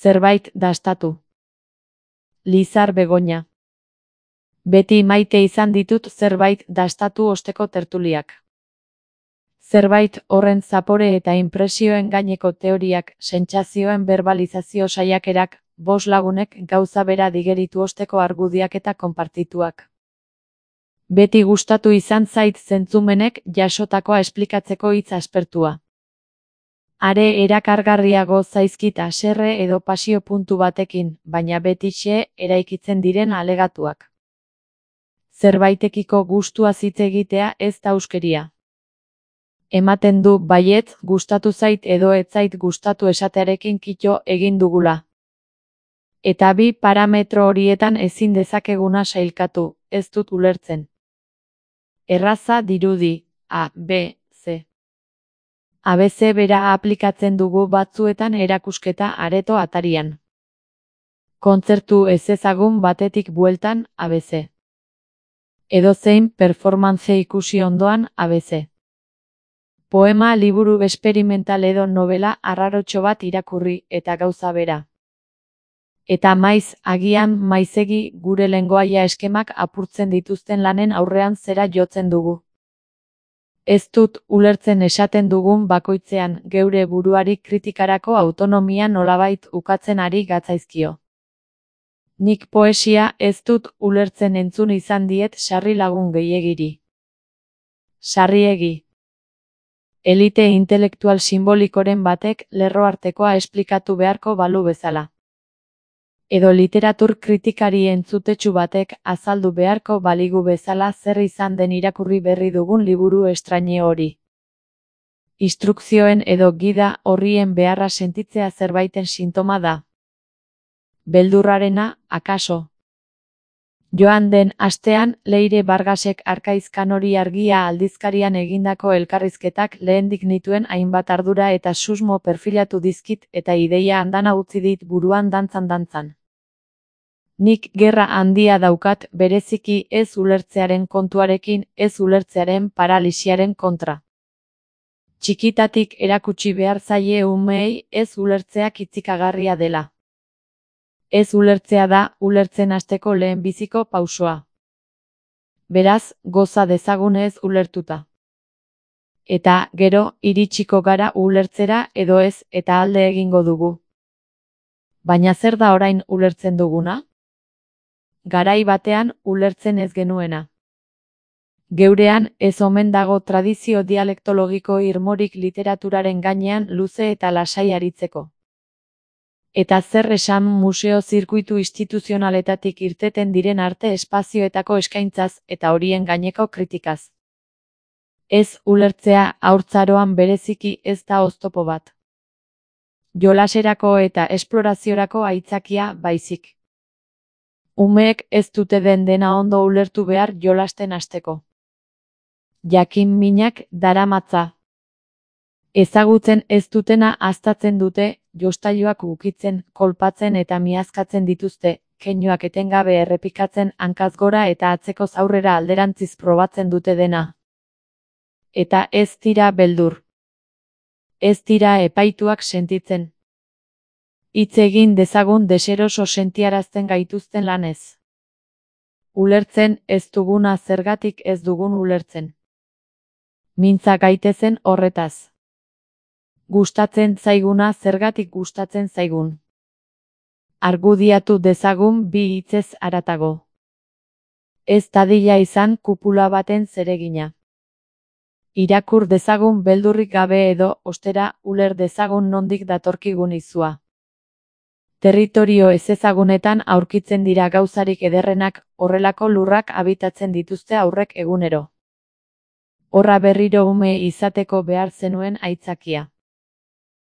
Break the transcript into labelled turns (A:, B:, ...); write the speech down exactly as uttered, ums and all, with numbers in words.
A: Zerbait dastatu. Lizar Begoña. Beti maite izan ditut zerbait dastatu osteko tertuliak. Zerbait horren zapore eta inpresioen gaineko teoriak, sentsazioen berbalizazio saiakerak, bost lagunek gauza bera digeritu osteko argudiak eta konpartituak. Beti gustatu izan zait zentzumenek jasotakoa esplikatzeko hitz aspertua. Are erakargarriago zaizkit haserre edo pasio puntu batekin, baina betixe eraikitzen diren alegatuak. Zerbaitekiko gustua hitz egitea ez da huskeria. Ematen du baietz gustatu zait edo ez zait gustatu esatearekin kito egin dugula. Eta bi parametro horietan ezin dezakeguna sailkatu, ez dut ulertzen. Erraza dirudi, A, B, C. A B C bera aplikatzen dugu batzuetan erakusketa areto atarian. Kontzertu ezezagun batetik bueltan A B C. Edozein performance ikusi ondoan A B C. Poema liburu esperimental edo novela arrarotxo bat irakurri eta gauza bera. Eta maiz, agian maizegi gure lengoaia eskemak apurtzen dituzten lanen aurrean zera jotzen dugu. Ez dut ulertzen esaten dugun bakoitzean geure buruari kritikarako autonomia nolabait ukatzen ari gatzaizkio. Nik poesia ez dut ulertzen entzun izan diet sarri lagun gehiegiri. Sarriegi. Elite intelektual simbolikoren batek lerroartekoa esplikatu beharko balu bezala. Edo literatur kritikari entzutetsu batek azaldu beharko baligu bezala zer izan den irakurri berri dugun liburu estraine hori. Instrukzioen edo gida horrien beharra sentitzea zerbaiten sintoma da. Beldurrarena, akaso. Joan den astean Leire Vargasek Arkaizkan hori argia aldizkarian egindako elkarrizketak lehendik nituen hainbat ardura eta susmo perfilatu dizkit eta ideia andana utzi dit buruan dantzan-dantzan. Nik gerra handia daukat bereziki ez ulertzearen kontuarekin, ez ulertzearen paralisiaren kontra. Txikitatik erakutsi behar zaie umeei ez ulertzea kitzikagarria dela. Ez ulertzea da ulertzen hasteko lehenbiziko pausoa. Beraz, goza dezagun ez ulertuta. Eta, gero, iritsiko gara ulertzera edo ez eta alde egingo dugu. Baina zer da orain ulertzen duguna? Garai batean ulertzen ez genuena. Geurean ez omen dago tradizio dialektologiko irmorik literaturaren gainean luze eta lasai aritzeko. Eta zer esan museo zirkuitu instituzionaletatik irteten diren arte espazioetako eskaintzaz eta horien gaineko kritikaz. Ez ulertzea haurtzaroan bereziki ez da oztopo bat. Jolaserako eta esploraziorako aitzakia baizik. Umeek ez dute den dena ondo ulertu behar jolasten hasteko. Jakin minak daramatza. Ezagutzen ez dutena aztatzen dute, jostailuak ukitzen, kolpatzen eta miazkatzen dituzte, keinuak etengabe errepikatzen hankaz gora eta atzeko aurrera alderantziz probatzen dute dena. Eta ez dira beldur. Ez dira epaituak sentitzen. Hitz egin dezagun deseroso sentiarazten gaituzten lanez. Ulertzen ez duguna zergatik ez dugun ulertzen. Mintza gaitezen horretaz. Gustatzen zaiguna zergatik gustatzen zaigun. Argudiatu dezagun bi hitzez haratago. Ez dadila izan kupula baten zeregina. Irakur dezagun beldurrik gabe edo, ostera, uler dezagun nondik datorkigun izua. Territorio ezezagunetan aurkitzen dira gauzarik ederrenak, horrelako lurrak habitatzen dituzte aurrek egunero. Horra berriro ume izateko behar zenuen aitzakia.